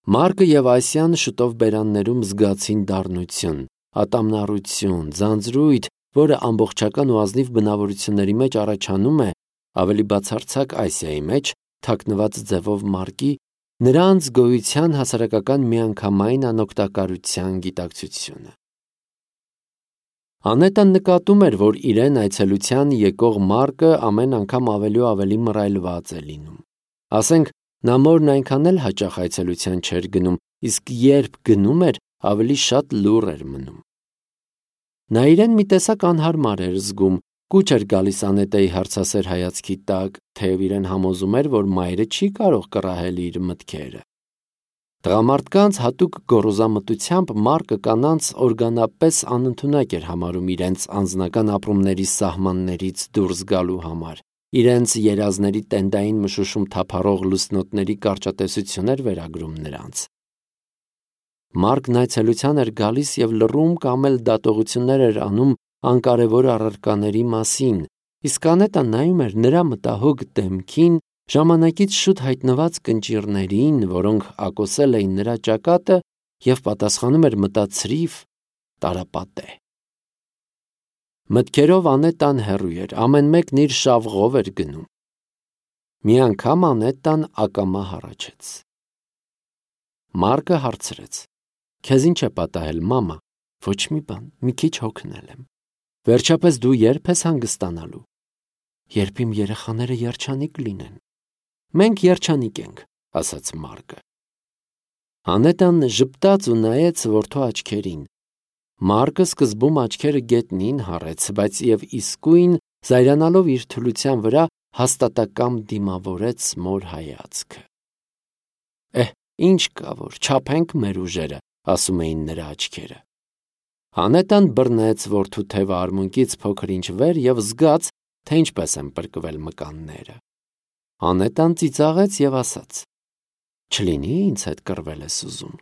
Մարկը և Ասիան շուտով բերաններում զգացին դառնություն, ատամնառություն, ձանձրույթ, որը ամբողջական ու ազնիվ բնավորությունների մեջ առաջանում է, ավելի բացարձակ Ասիայի մեջ, թաքնված ձևով Մարկի, նրանց գոյության հասարակական միանգամայն անօգտակարության գիտակցությունը։ Անետան նկատում էր, որ իրեն այցելության եկող Մարկը ամեն անգամ ավելի ու ավելի մռայլված է լինում։ Ասենք, նա մորն այնքան էլ հաճախ այցելության չէր գնում, իսկ երբ գնում էր, ավելի շատ լուռ էր մնում։ Նա իրեն մի տեսակ անհարմար էր զգում, կուչ էր գալիս Անետայի հարցասեր հայացքի տակ, թեև իրեն համոզում էր, որ մայրը չի կարող կռահել իր մտքերը։ Տղամարդկանց հատուկ գոռոզամտությամբ Մարկը կանանց օրգանապես անընդունակ էր համարում իրենց անձնական ապրումների սահմաններից դուրս գալու համար, իրենց երազների տենդային մշուշում թափառող լուսնոտների կարճատեսություն էր վերագրում նրանց։ Մարկն այցելության էր գալիս և լռում կամ էլ դատողություններ էր անում անկարևոր առարկաների մասին, իսկ Անետան նայում էր նրա մտահոգ դեմքին, ժամանակից շուտ հայտնված կնճիռներին, որոնք ակոսել էին նրա ճակատը, և պատասխանում էր մտածրիվ, տարապատե։ Մտքերով Անետան հեռու էր, ամեն մեկն իր շավղով էր գնում։ Մի անգամ Անետան ակամա հառաչեց։ Մարկը հարցրեց. «Քեզ ինչ է պատահել, մամա»։ «Ոչ մի բան, մի քիչ հոգնել եմ»։ «Վերջապես դու երբ ես հանգստանալու»։ «Երբ իմ երեխաները երջանիկ լինեն»։ «Մենք երջանիկ ենք», ասաց Մարկը։ Անետան ժպտաց ու նայեց որդու աչքերին։ Մարկը սկզբում աչքերը գետնին հառեց, բայց և իսկույն, զայրանալով իր թուլության վրա, հաստատակամ դիմավորեց մոր հայացքը։ Ինչ կա որ, չափենք մեր ուժերը, ասում էին նրա աչքերը։ Անետան բռնեց որդու թևը արմունկից փոքր-ինչ վեր և զգաց, թե ինչպես են պրկվել մկանները։ Անետան ծիծաղեց և ասաց. «Չլինի ինձ հետ կռվել ես ուզում»։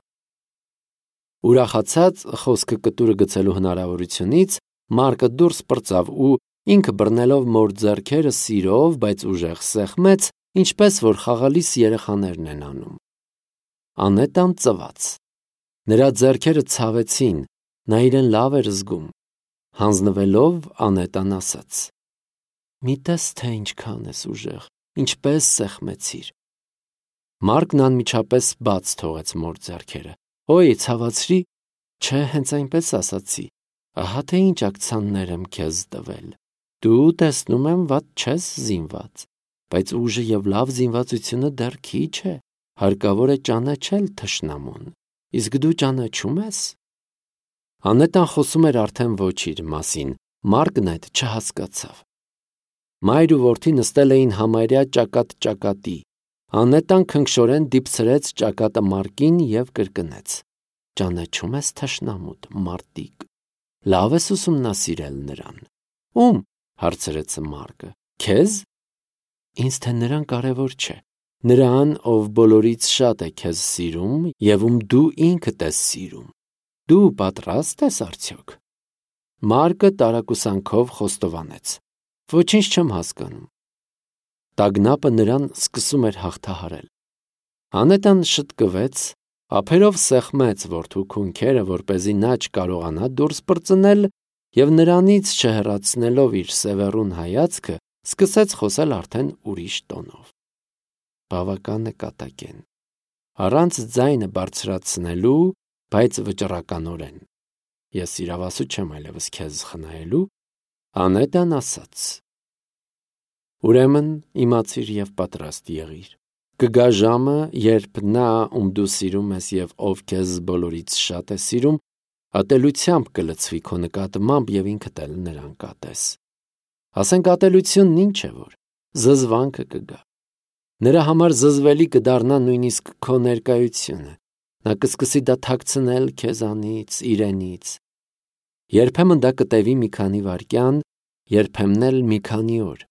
Ուրախացած խոսքը կտուրը գցելու հնարավորությունից, Մարկը դուրս պրծավ ու, ինքը բռնելով մոր ձեռքերը սիրով, բայց ուժեղ սեղմեց, ինչպես որ խաղալիս երեխաներն են անում։ Անետան ծվաց։ Նրա ձեռքերը ցավեցին, նա իրեն լավ էր զգում։ Հանձնվելով, Անետան ասաց. «Մի տես, թե ինչքան ես ուժեղ, ինչպես սեղմեցիր»։ Մարկն անմիջապես բաց թողեց մոր ձեռքերը։ Ցավացրի, չէ, հենց այնպես ասացի, ահա թե ինչ ակցաններ եմ քեզ տվել։ Դու, տեսնում եմ, վատ չես զինված, բայց ուժը և լավ զինվածությունը դեռ քիչ է, հարկավոր է ճանաչել թշնամուն, իսկ դու ճանաչում ես։ Անետան խոսում էր արդեն ոչ իր մասին, Մարկն այդ չհասկացավ։ Մայր ու որդի նստել էին համարյա ճակատ ճակատի։ Անետան քնքշորեն դիպցրեց ճակատը Մարկին և կրկնեց. «Ճանաչում ես թշնամուդ, մարտիկ, լավ ես ուսումնասիրել նրան»։ «Ում»։ հարցրեց Մարկը։ «Քեզ»։ «Ինձ թե նրան կարևոր չէ, նրան, ով բոլորից շատ է քեզ սիրում և ում դու ինքդ ես սիրում։ Դու պատրաստ ես արդյոք»։ Մարկը տարակուսանքով խոստովանեց. «Ոչինչ չեմ հասկանում»։ Տագնապը նրան սկսում էր հաղթահարել։ Անետան շտկվեց, ափերով սեղմեց որդու քունքերը, որպեսզի նա չկարողանա դուրս պրծնել, և նրանից չհեռացնելով իր սևեռուն հայացքը, սկսեց խոսել արդեն ուրիշ տոնով։ Բավական է կատակեն, առանց ձայնը բարձրացնելու, բայց վճռականորեն։ Ես իրավասու չեմ այլևս քեզ խնայելու։ Անետան ասաց. «Ուրեմն իմացիր և պատրաստ եղիր։ Կգա ժամը, երբ նա, ում դու սիրում ես և ով քեզ բոլորից շատ է սիրում, ատելությամբ կլցվի քո նկատմամբ և ինքդ էլ նրան կատես։ Ասենք ատելությունն ինչ է որ, զզվանքը կգա։ Նրա համար զզվելի կդառնա նույնիսկ քո ներկայությունը։ Նա կսկսի դա թաքցնել քեզանից, իրենից։ Երբեմն դա կտևի մի քանի վայրկյան, երբեմն էլ մի քանի օր։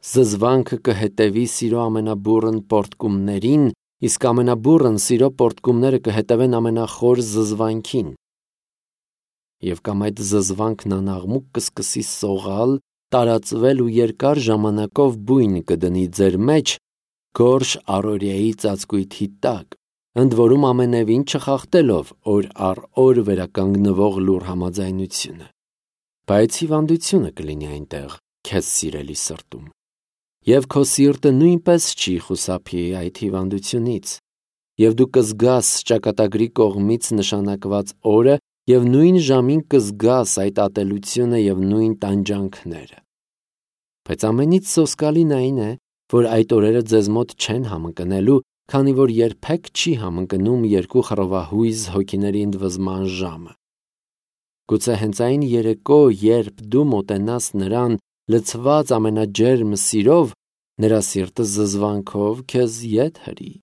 Զզվանքը կհետևի սիրո ամենաբուռն պոռթկումներին, իսկ ամենաբուռն սիրո պոռթկումները կհետևեն ամենախոր զզվանքին։ Եվ կամ այդ զզվանքն անաղմուկ կսկսի սողալ, տարածվել ու երկար ժամանակով բույն կդնի ձեր մեջ, գորշ առօրյայի ծածկույթի տակ, ընդ որում ամենևին չխախտելով օր առ օր վերականգնվող լուր համաձայնությունը։ Բայց հիվանդությունը կլինի այնտեղ քեզ սիրելի սրտում, և քո սիրտը նույնպես չի խուսափի այդ հիվանդությունից, և դու կզգաս ճակատագրի կողմից նշանակված օրը և նույն ժամին կզգաս այդ ատելությունը և նույն տանջանքները։ Բայց ամենից սոսկալին այն է, որ այդ օրերը ձեզ մոտ չեն համընկնելու, քանի որ երբեք չի համընկնում երկու խռովահույզ հոգիների ընդվզման ժամը։ Գուցե հենց այն երեկո, երբ դու մոտենաս նրան լցված ամենաջերմ սիրով, նրա սիրտը զզվանքով քեզ ետ հրի։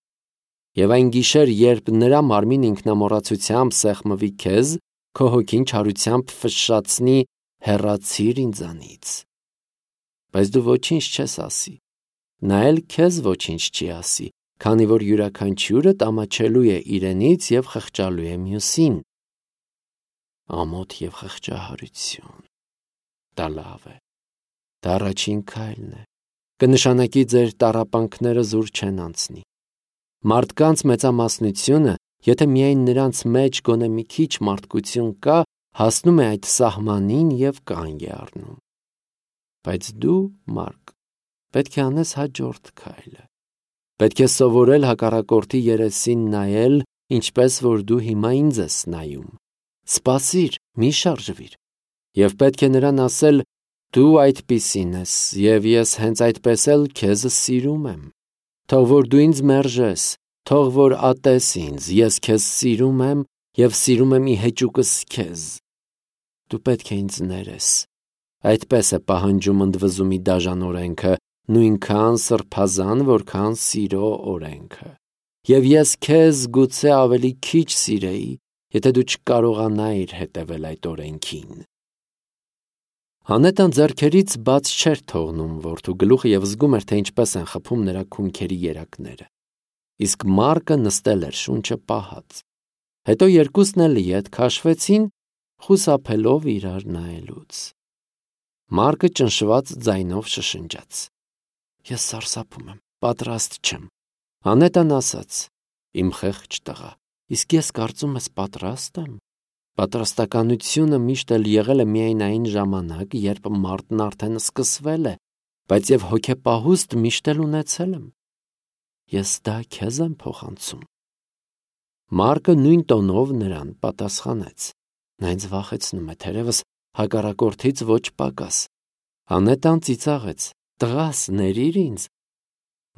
Եվ այն գիշեր, երբ նրա մարմին ինքնամոռացությամբ սեղմվի քեզ, քո հոգին չարությամբ ֆշշացնի «Հեռացիր ինձանից»։ Բայց դու ոչինչ չես ասի։ Նա էլ քեզ ոչինչ չի ասի, քանի որ յուրաքանչյուրդ ամաչելու է իրենից և խղճալու է մյուսին։ Ամոթ և խղճահարություն։ Դա լավ է։ Դա առաջին քայլն է։ Կնշանակի ձեր տառապանքները զուր չեն անցնի։ Մարդկանց մեծամասնությունը, եթե միայն նրանց մեջ գոնե մի քիչ մարդկություն կա, հասնում է այդ սահմանին և կանգ է առնում։ Բայց դու, Մարկ, պետք է անես հաջորդ քայլը։ Պետք է սովորել հակառակորդի երեսին նայել, ինչպես որ դու հիմա ինձ ես նայում։ Սպասիր, մի շարժվիր։ Եվ պետք է նրան ասել. «Դու այդպիսին ես, և ես հենց այդպես էլ քեզ սիրում եմ։ Թող որ դու ինձ մերժես, թող որ ատես ինձ, ես քեզ սիրում եմ և սիրում եմ ի հեճուկս քեզ։ Դու պետք է ինձ ներես»։ Այդպես է պահանջում ընդվզումի դաժան օրենքը, նույնքան սրբազան, որքան սիրո օրենքը։ Եվ ես քեզ գուցե ավելի քիչ սիրեի, եթե դու չկարողանայիր հետևել այդ օրենքին։ Անետան ձեռքերից բաց չէր թողնում որդու գլուխը և զգում էր, թե ինչպես են խփում նրա քունքերի երակները։ Իսկ Մարկը նստել էր շունչը պահած։ Հետո երկուսն էլ ետ քաշվեցին, խուսափելով իրար նայելուց։ Մարկը ճնշված ձայնով շշնջաց. «Ես սարսափում եմ, պատրաստ չեմ»։ Անետան ասաց. «Իմ խեղճ տղա, իսկ ես կարծում ես պատրաստ եմ։ Պատրաստականությունը միշտ էլ եղել է միայն այն ժամանակ, երբ մարտն արդեն սկսվել է, բայց և հոգեպահուստ միշտ էլ ունեցել եմ։ Ես դա քեզ եմ փոխանցում»։ Մարկը նույն տոնով նրան պատասխանեց. «Նա ինձ վախեցնում է, թերևս հակառակորդից ոչ պակաս»։ Անետան ծիծաղեց. «Տղաս, ներիր ինձ»։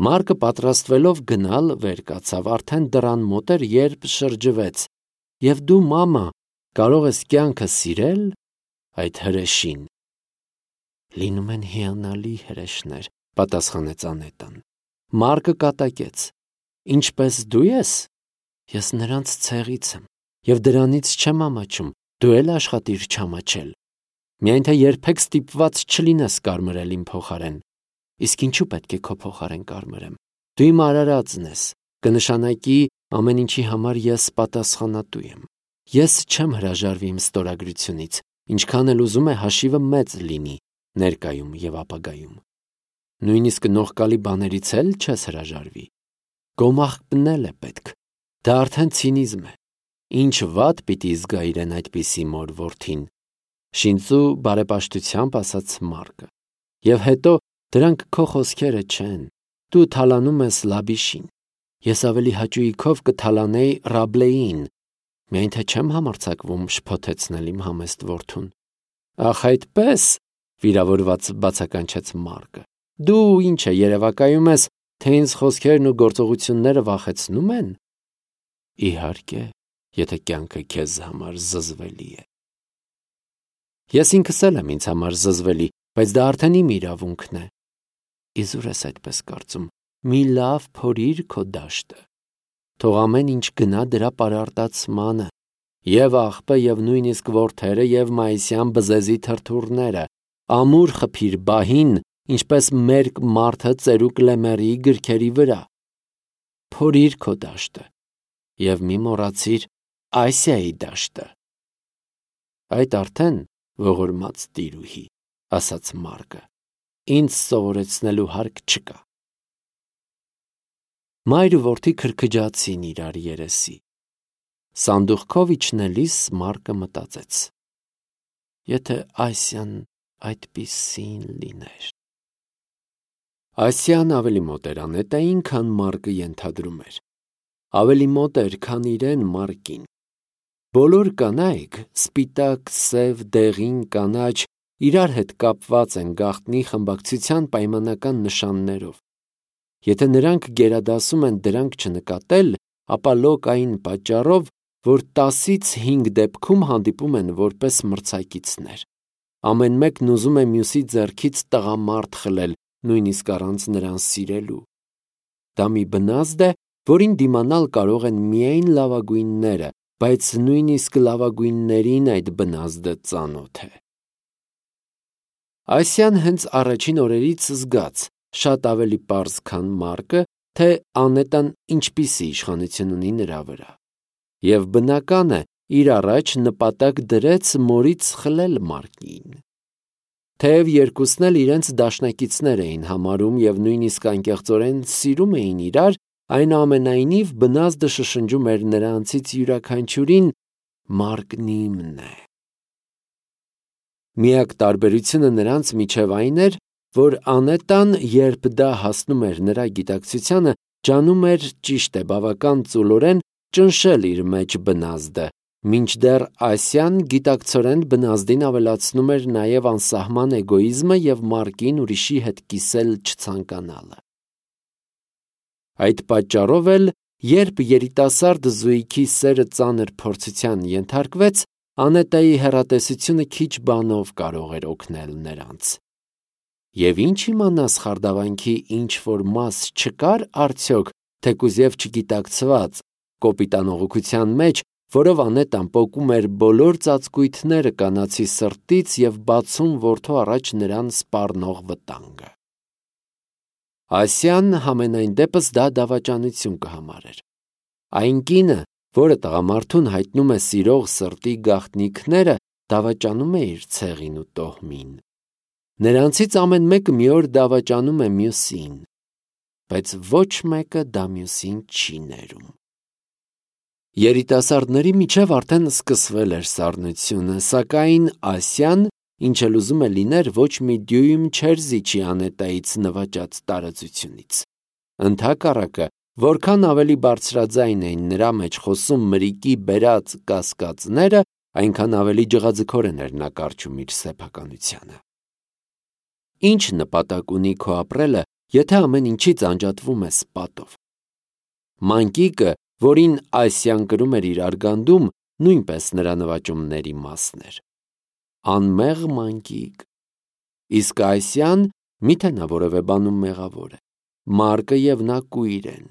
Մարկը պատրաստվելով գնալ վեր կացավ, արդեն դռան մոտ էր, երբ շրջվեց. «Եվ դու, մամա, կարող ես կյանքը սիրել այդ հրեշին»։ «Լինում են հիանալի հրեշներ», պատասխանեց Անետան։ Մարկը կատակեց. «Ինչպես դու ես»։ Ես նրանց ցեղից եմ, և դրանից չեմ ամաչում, դու էլ աշխատիր չամաչել։ Միայն թե երբեք ստիպված չլինես կարմրել իմ փոխարեն։ Իսկ ինչու պետք է քո փոխարեն կարմրեմ։ Դու իմ արարածն ես, կնշանակի ամեն ինչի համար ես պատասխանատու եմ։ Ես չեմ հրաժարվի իմ ստորագրությունից, ինչքան էլ ուզում է հաշիվը մեծ լինի ներկայում և ապագայում։ Նույնիսկ նողկալի բաներից էլ չես հրաժարվի։ Գոմաղ պնել է պետք։ Դա արդեն ցինիզմ է։ Ինչ վատ պիտի զգա իրեն այդպիսի մոր որդին։ Շինծու բարեպաշտությամբ ասաց Մարկը։ Եվ հետո դրանք քո խոսքերը չեն։ Դու թալանում ես Լաբիշին։ Ես ավելի հաճույքով կթալանեի Ռաբլեին, միայն թե չեմ համարձակվում շփոթեցնել իմ համեստ որդուն։ Ախ, այդպես, վիրավորված բացականչեց Մարկը։ Դու ինչ է երևակայում ես, թե ինձ խոսքերն ու գործողությունները վախեցնում են։ Իհարկե, եթե կյանքը քեզ համար զզվելի է։ Ես ինքս էլ եմ ինձ համար զզվելի, բայց դա արդեն իմ իրավունքն է։ Իզուր ես այդպես կարծում։ Մի լավ փորիր քո դաշտը։ Թող ամեն ինչ գնա դրա պարարտացմանը։ Եվ աղբը, և նույնիսկ որդերը, և մայիսյան բզեզի թրթուրները, ամուր խփիր բահին, ինչպես մերկ մարդը ծերուկ լեմերի գրքերի վրա։ Փորիր քո դաշտը, և մի մոռացիր Ասիայի դաշտը։ Այդ արդեն ողորմած տիրուհի, ասաց Մարկը, ինձ սովորեցնելու հարկ չկա։ մայր ու որդի քրքջացին իրար երեսի։ Սանդուղքով իջնելիս Մարկը մտածեց. եթե Ասիան այդպիսին լիներ։ Ասիան ավելի մոտ էր Անետային, քան Մարկը ենթադրում էր։ Ավելի մոտ էր, քան իրեն Մարկին։ Բոլոր կանայք, սպիտակ, սև, դեղին, կանաչ, իրար հետ կապված են գաղտնի խմբակցության պայմանական նշաններով։ Եթե նրանք գերադասում են դրանք չնկատել, ապա լոկ այն պատճառով, որ 10-ից 5 դեպքում հանդիպում են որպես մրցակիցներ։ Ամեն մեկն ուզում է մյուսի ձեռքից տղամարդ խլել, նույնիսկ առանց նրան սիրելու։ Դա մի բնազդ է, որին դիմանալ կարող են միայն լավագույնները, բայց նույնիսկ լավագույններին այդ բնազդը ծանոթ է։ Ասիան հենց առաջին օրերից զգաց, շատ ավելի պարզ, քան Մարկը, թե Անետան ինչպիսի իշխանություն ունի նրա վրա։ Եվ բնական է, իր առաջ նպատակ դրեց մորից խլել Մարկին։ Թեև երկուսն էլ իրենց դաշնակիցներ էին համարում և նույնիսկ անկեղծորեն սիրում էին իրար, այնուամենայնիվ բնազդը շշնջում էր նրանցից յուրաքանչյուրին. Մարկն իմն է։ Միակ տարբերությունը նրանց միջև այն էր, որ Անետան, երբ դա հասնում էր նրա գիտակցությանը, ջանում էր, ճիշտ է, բավական ծուլորեն ճնշել իր մեջ բնազդը, մինչդեռ Ասիան գիտակցորեն բնազդին ավելացնում էր նաև անսահման էգոիզմը և Մարկին ուրիշի հետ կիսել չցանկանալը։ Այդ պատճառով էլ, երբ երիտասարդ զույգի սերը ծանր փորձության ենթարկվեց, Անետայի հեռատեսությունը քիչ բանով կարող էր օգնել նրանց։ Եվ ինչ իմանաս խարդավանքի ինչ-որ մաս չկար արդյոք, թեկուզ և չգիտակցված, կոպիտանողության մեջ, որով Անետան պոկում էր բոլոր ծածկույթները կանացի սրտից և բացում որդու առաջ նրան սպառնող վտանգը։ Ասիան համենայն դեպս դա դավաճանություն կհամարեր։ Այն կինը, որը տղամարդուն հայտնում է սիրող սրտի գաղտնիքները, դավաճանում է իր ցեղին ու տոհմին։ Նրանցից ամեն մեկը մի օր դավաճանում է մյուսին, բայց ոչ մեկը դա մյուսին չի ներում։ Երիտասարդների միջև արդեն սկսվել էր սառնությունը, սակայն Ասիան, ինչ էլ ուզում է լիներ, ոչ մի դյույմ չէր զիջի Անետայից նվաճած տարածությունից։ Ընդհակառակը, որքան ավելի բարձրաձայն էին նրա մեջ խոսում մրրիկի բերած կասկածները, այնքան ավելի ջղաձգորեն էր նա կարճում իր սեփականությանը։ Ինչ նպատակ ունի քո ապրելը, եթե ամեն ինչից անջատվում ես պատով։ Մանկիկը, որին Ասիան կրում էր իր արգանդում, նույնպես նրա նվաճումների մասն էր։ Անմեղ մանկիկ։ Իսկ Ասիան, միթե նա որևէ բանում մեղավոր է։ Մարկը և նա կույր են։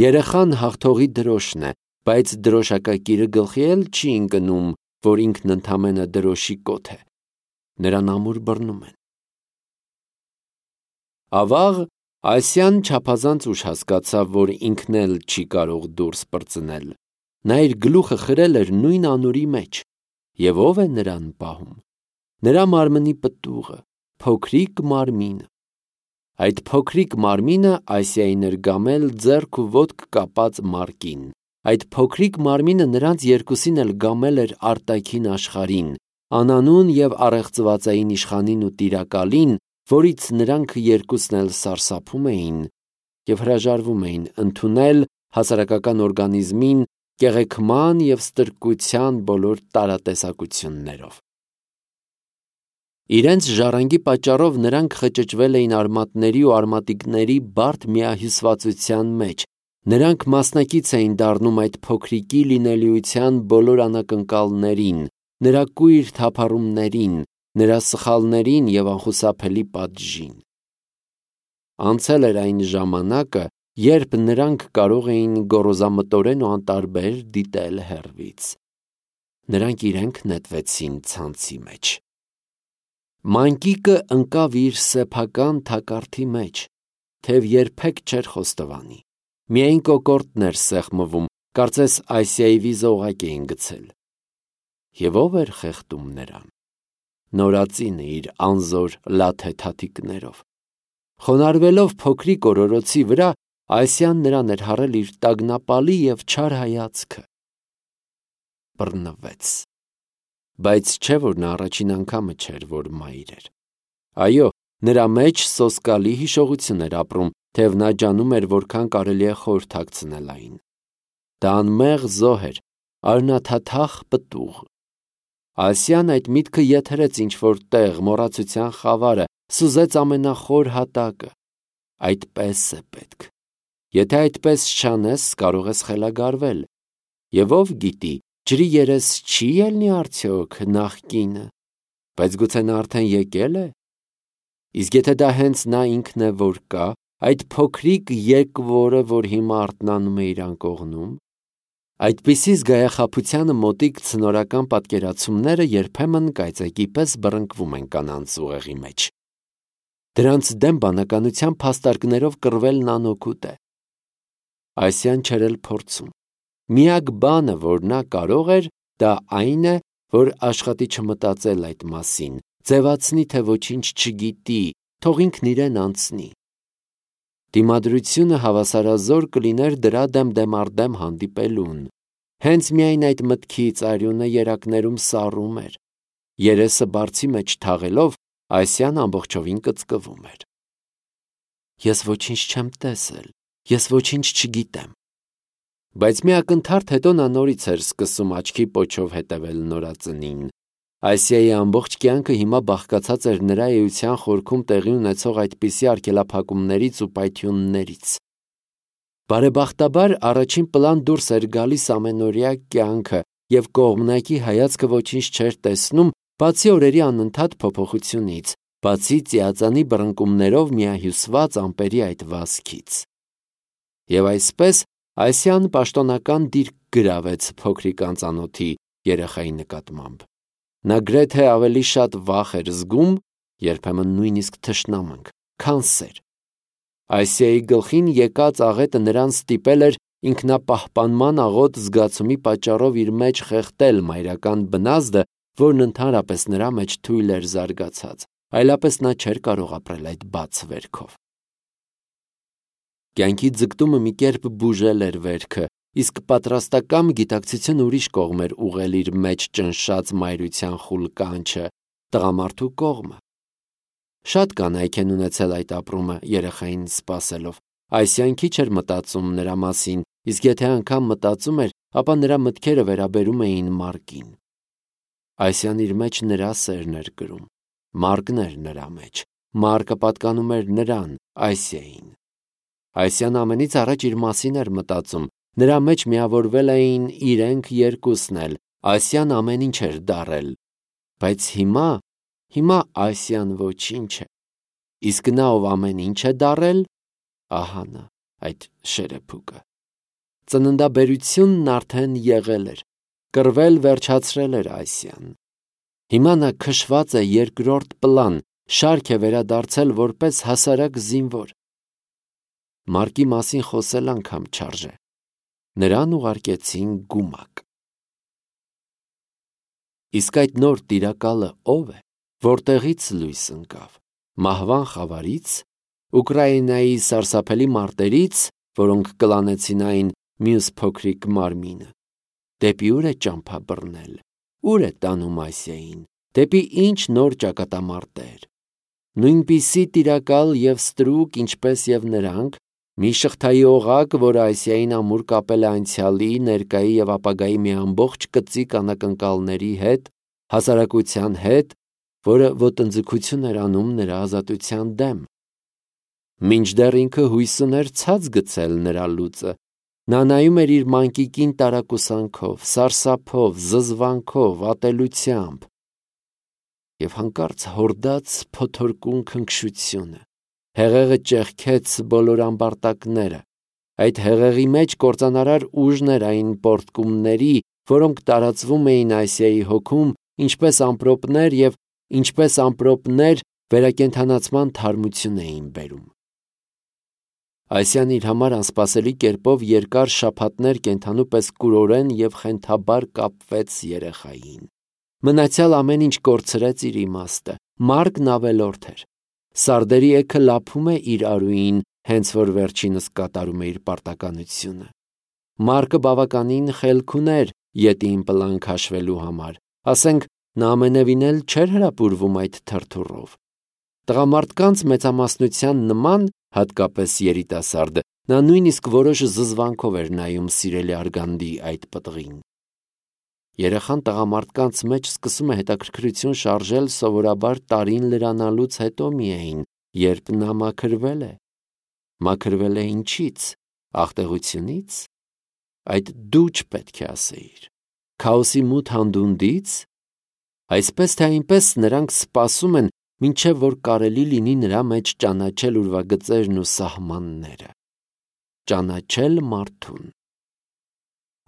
Երեխան հաղթողի դրոշն է, բայց դրոշակակիրը գլխի էլ չի ընկնում, որ ինքն ընդամենը դրոշի կոթ է։ Նրան ամուր բռնում են։ Ավաղ Ասիան չափազանց ուշ հասկացավ, որ ինքն էլ չի կարող դուրս պրծնել։ Նա իր գլուխը խրել էր նույն անուրի մեջ։ Եվ ով է նրան պահում։ Նրա մարմնի պտուղը, փոքրիկ մարմինը։ Այդ փոքրիկ մարմինը Ասիային էր գամել ձեռք ու ոտք կապած Մարկին։ Այդ փոքրիկ մարմինը նրանց երկուսին էլ գամել էր արտաքին աշխարհին, անանուն և առեղծվածային իշխանին ու տիրակալին, որից նրանք երկուսն էլ սարսափում էին և հրաժարվում էին ընդունել հասարակական օրգանիզմին կեղեքման և ստրկության բոլոր տարատեսակություններով։ Իրենց ժառանգի պատճառով նրանք խճճվել էին արմատների ու արմատիկների բարդ միահյուսվածության մեջ, նրանք մասնակից էին դառնում այդ փոքրիկի լինելիության բոլոր անակնկալներին, նրա կույր թափառումներին, նրա սխալներին և անխուսափելի պատժին։ Անցել էր այն ժամանակը, երբ նրանք կարող էին գոռոզամտորեն ու անտարբեր դիտել հեռվից։ Նրանք իրենք նետվեցին ցանցի մեջ։ Մանկիկը ընկավ իր սեփական թակարդի մեջ, թեև երբեք չէր խոստովանի։ Միայն կոկորդն էր սեղմվում, կարծես Ասիայի վիզը օղակ էին գցել։ Եվ ով էր խեղդում նրան։ Նորածինը իր անզոր լաթե թաթիկներով։ Խոնարհվելով փոքրիկ օրորոցի վրա, Այսյան նրան էր հարել իր տագնապալի և չար հայացքը։ Բռնվեց։ Բայց չէ, որ նա առաջին անգամը չէր, որ մայր էր։ Այո, նրա մեջ սոսկալի հիշողություն էր ապրում, թեև նա ջանում էր, որքան կարելի է խորհրդակցնել այն։ Դա անմեղ զոհ էր, արյունաթաթախ պտուղ։ Այսյան այդ միտքը եթերեց ինչ-որ տեղ, մոռացության խավարը, սուզեց ամենախոր հատակը։ Այդպես է պետք։ Եթե այդպես չանես, կարող ես խելագարվել։ Եվ ով գիտի, ջրի երես չի ելնի արդյոք նախկինը, բայց գուցե նա արդեն եկել է։ Իսկ եթե դա հենց նա ինքն է, որ կա, այդ փոքրիկ եկվորը, որ հիմա արթնանում է իր անկողնում, այդպիսի զգայախաբությանը մոտիկ ցնորական պատկերացումները երբեմն կայծակի պես բռնկվում են կանանց ուղեղի մեջ։ Դրանց դեմ բանականության փաստարկներով կռվելն անօգուտ է։ Այսյան չէր էլ փորձում։ Միակ բանը, որ նա կարող էր, դա այն է, որ աշխատի չմտածել այդ մասին, ձևացնի, թե ոչինչ չգիտի, թող ինքն իրեն անցնի։ Դիմադրությունը հավասարազոր կլիներ դրա դեմ դեմառդեմ հանդիպելուն։ Հենց միայն այդ մտքից արյունը երակներում սառում էր։ Երեսը բարձի մեջ թաղելով, Այսյան ամբողջովին կծկվում էր։ Ես ոչինչ չեմ տեսել, ես ոչինչ չգիտեմ։ Բայց մի ակնթարթ հետո նա նորից էր սկսում աչքի պոչով հետևել նորածնին։ Այսիայի ամբողջ կյանքը հիմա բաղկացած էր նրա էության խորքում տեղի ունեցող այդպիսի արգելափակումներից ու պայթյուններից։ Բարեբախտաբար առաջին պլան դուրս էր գալիս ամենօրյա կյանքը, և կողմնակի հայացքը ոչինչ չէր տեսնում, բացի օրերի անընդհատ փոփոխությունից, բացի ծիածանի բռնկումներով միահյուսված ամպերի այդ վազքից։ Եվ այսպես Այսյան պաշտոնական դիրք գրավեց փոքրիկ անծանոթի երեխայի նկատմամբ։ Նա գրեթե ավելի շատ վախ էր զգում, երբեմն նույնիսկ թշնամանք, քան սեր։ Այսիայի գլխին եկած աղետը նրան ստիպել էր ինքնապահպանման աղոտ զգացումի պատճառով իր մեջ խեղդել մայրական բնազդը, որն ընդհանրապես նրա մեջ թույլ էր զարգացած, այլապես նա չէր կարող ապրել այդ բաց վերքով։ Կյանքի ձգտումը մի կերպ բուժել էր վերքը, իսկ պատրաստակամ գիտակցությունը ուրիշ կողմ էր ուղղել իր մեջ ճնշած մայրության խուլ կանչը, տղամարդու կողմը։ Շատ կանայք են ունեցել այդ ապրումը երեխային սպասելով։ Այսյան քիչ էր մտածում նրա մասին, իսկ եթե անգամ մտածում էր, ապա նրա մտքերը վերաբերում էին Մարկին։ Այսյան իր մեջ նրա սերն էր կրում, Մարկն էր նրա մեջ, Մարկը պատկանում էր նրան, Այսիային։ Այսյան ամենից առաջ իր մասին էր մտածում, նրա մեջ միավորվել էին իրենք երկուսն էլ, Այսյան ամեն ինչ էր դառել, բայց հիմա Այսյան ոչինչ է, իսկ նա, ով ամեն ինչ է դառել, ահա նա, այդ շերեփուկը։ Ծննդաբերությունն արդեն եղել էր, կռվել վերջացրել էր Այսյան։ Հիմա նա քշված է երկրորդ պլան, շարք է վերադարձել որպես հասարակ զինվոր։ Մարկի մասին խոսել անգամ չարժե։ Նրան ուղարկեցին գումակ։ Իսկ այդ նոր տիրակալը ով է, որտեղից լույս ընկավ։ Մահվան խավարից, Ուկրաինայի սարսափելի մարտերից, որոնք կլանեցին այն մյուս փոքրիկ մարմինը։ Դեպի ուր է ճամփա բռնել, ուր է տանում Այսիային, դեպի ինչ նոր ճակատամարտեր։ Նույնպիսի տիրակալ և ստրուկ, ինչպես և նրանք, մի շղթայի օղակ, որը Այսիային ամուր կապել է անցյալի, ներկայի և ապագայի մի ամբողջ կծիկ անակնկալների հետ, հասարակության հետ, որը ոտնձգություն էր անում նրա ազատության դեմ։ Մինչդեռ ինքը հույս ուներ ցած գցել նրա լուծը, նա նայում էր իր մանկիկին տարակուսանքով, սարսափով, զզվանքով, ատելությամբ, և հանկարծ հորդաց փոթորկուն քնքշությունը, հեղեղը ճեղքեց բոլոր ամբարտակները, այդ հեղեղի մեջ կործանարար ուժն էր այն պոռթկումների, որոնք տարածվում էին Այսիայի հոգում, ինչպես ամպրոպներ և ինչպես ամպրոպներ վերակենդանացման թարմություն էին բերում։ Այսյան իր համար անսպասելի կերպով երկար շաբաթներ կենդանու պես կուրորեն և խենթաբար կապվեց երեխային։ Մնացյալ ամեն ինչ կորցրեց իր իմաստը, Մարկն ավելորդ էր։ Սարդերի էգը լափում է իր արուին, հենց որ վերջինս կատարում է իր պարտականությունը։ Մարկը բավականին խելք ուներ ետին պլան քաշվելու համար, ասենք նա ամենևին էլ չէր հրապուրվում այդ թրթուրով։ Տղամարդկանց մեծամասնության նման, հատկապես երիտասարդը, նա նույնիսկ որոշ զզվանքով էր նայում սիրելի արգանդի այդ պտղին։ Երեխան տղամարդկանց մեջ սկսում է հետաքրքրություն շարժել սովորաբար տարին լրանալուց հետո միայն, երբ նա մաքրվել է։ Մաքրվել է ինչից, աղտեղությունից, այդ դու չպետք է ասեիր, քաոսի մութ հանդունդից, այսպես թե այնպես նրանք սպասում են, մինչև որ կարելի լինի նրա մեջ ճանաչել ուրվագծերն ու սահմանները, ճանաչել մարդուն։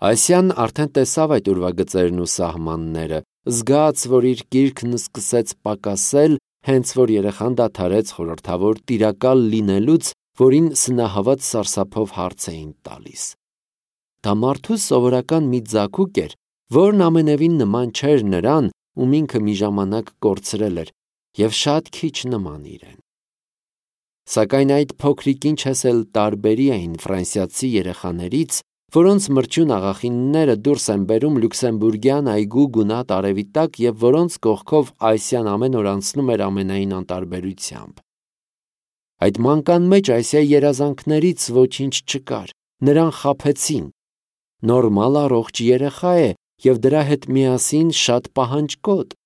Այսյան արդեն տեսավ այդ ուրվագծերն ու սահմանները, զգաց, որ իր կիրքն սկսեց պակասել, հենց որ երեխան դադարեց խորհրդավոր տիրակալ լինելուց, որին սնահավատ սարսափով հարց էին տալիս։ Դա մարդու սովորական մի ձագուկ էր, որն ամենևին նման չէր նրան, ում ինքը մի ժամանակ կորցրել էր, և շատ քիչ նման իրեն։ Սակայն այդ փոքրիկ ինչես էլ տարբերի էին ֆրանսիացի երեխաներից, որոնց մրջյուն աղախինները դուրս են բերում լյուքսեմբուրգյան այգու գունատ արևի տակ և որոնց կողքով Այսյան ամեն օր անցնում էր ամենայն անտարբերությամբ։ Այդ մանկան մեջ Այսիայի երազանքներից ոչինչ չկար, նրան խաբեցին։ Նորմալ առողջ երեխա է և դրա հետ միասին շատ պահանջկոտ,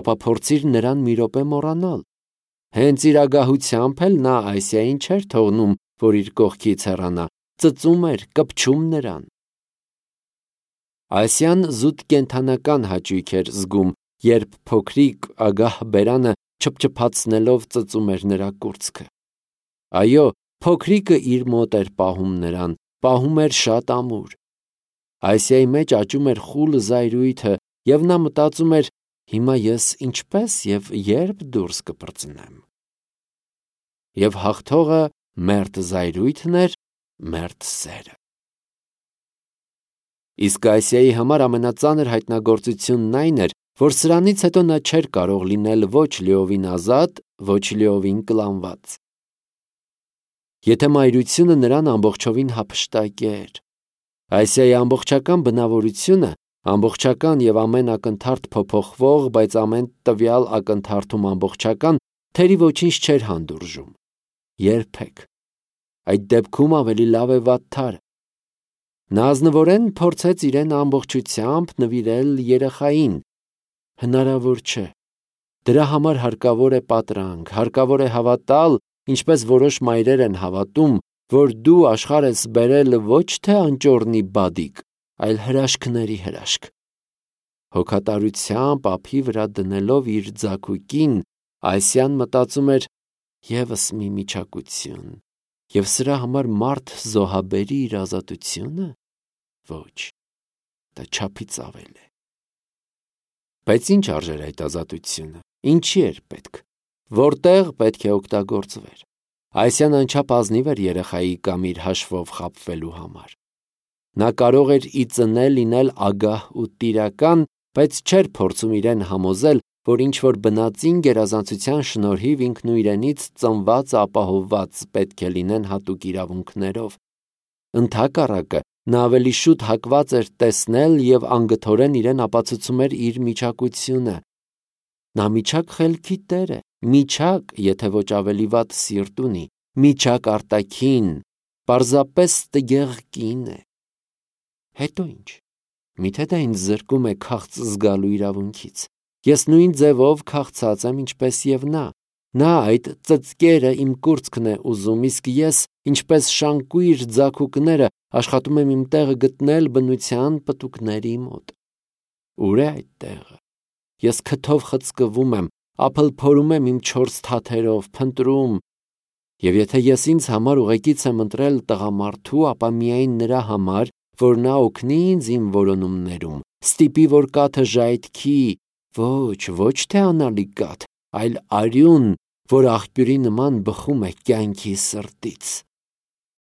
ապա փորձիր նրան մի րոպե մոռանալ։ Հենց իր ագահությամբ էլ նա Այսիային չէր թողնում, որ իր կողքից հեռանա, ծծում էր, կպչում նրան։ Այսյան զուտ կենդանական հաճույք էր զգում, երբ փոքրիկ ագահ բերանը չփչփացնելով ծծում էր նրա կուրծքը։ Այո, փոքրիկը իր մոտ էր պահում նրան, պահում էր շատ ամուր։ Այսիայի մեջ աճում էր խուլ զայրույթը, և նա մտածում էր, հիմա ես ինչպես և երբ դուրս կպրծնեմ։ Եվ հաղթողը մերթ զայրույթն էր, մերթ սերը։ Իսկ Այսիայի համար ամենածանր հայտնագործությունն այն էր, որ սրանից հետո նա չէր կարող լինել ոչ լիովին ազատ, ոչ լիովին կլանված։ Եթե մայրությունը նրան ամբողջովին հափշտակեր, Այսիայի ամբողջական բնավորությունը, ամբողջական և ամեն ակնթարթ փոփոխվող, բայց ամեն տվյալ ակնթարթում ամբողջական, թերի ոչինչ չէր հանդուրժում։ Երբեք։ Այդ դեպքում ավելի լավ է վատթարը։ Նա ազնվորեն փորձեց իրեն ամբողջությամբ նվիրել երեխային։ Հնարավոր չէ։ Դրա համար հարկավոր է պատրանք, հարկավոր է հավատալ, ինչպես որոշ մայրեր են հավատում, որ դու աշխարհ ես բերել ոչ թե անճոռնի բադիկ, այլ հրաշքների հրաշք։ Հոգատարությամբ ափի վրա դնելով իր ձագուկին, Այսյան մտածում էր ևս մի միջակություն, և սրա համար մարդ զոհաբերի իր ազատությունը։ Ոչ, դա չափից ավել է։ Բայց ինչ արժեր այդ ազատությունը, ինչի էր պետք, որտեղ պետք է օգտագործվեր։ Այսյան անչափ ազնիվ էր երեխայի կամ իր հաշվով խաբվելու համար։ Նա կարող էր ի ծնե լինել ագահ ու տիրական, բայց չէր փորձում իրեն համոզել, որ ինչ-որ բնածին գերազանցության շնորհիվ ինքն ու իրենից ծնված ապահովված պետք է լինեն հատուկ իրավունքներով։ Ընդհակառակը, նա ավելի շուտ հակված էր տեսնել և անգթորեն իրեն ապացուցում էր իր միջակությունը։ Նա միջակ խելքի տեր է, միջակ, եթե ոչ ավելի վատ սիրտ ունի, միջակ արտաքին, պարզապես տգեղ կին է։ Հետո ինչ։ Միթե դա ինձ զրկում է քաղց զգալու իրավունքից։ Ես նույն ձևով քաղցած եմ, ինչպես և նա։ Նա այդ ծծկերը իմ կուրծքն է ուզում, իսկ ես, ինչպես շանկույր ձագուկները, աշխատում եմ իմ տեղը գտնել բնության պտուկների մոտ։ Ուր է այդ տեղը։ Ես քթով խցկվում եմ, ափլփորում եմ իմ 4 թաթերով, փնտրում։ Եվ եթե ես ինձ համար ուղեկից եմ ընտրել տղամարդու, ապա միայն նրա համար, որ նա օգնի ինձ իմ որոնումներում, ստիպի, որ կաթը ժայթքի, ոչ թե անալի կաթ, այլ արյուն, որ աղբյուրի նման բխում է կյանքի սրտից։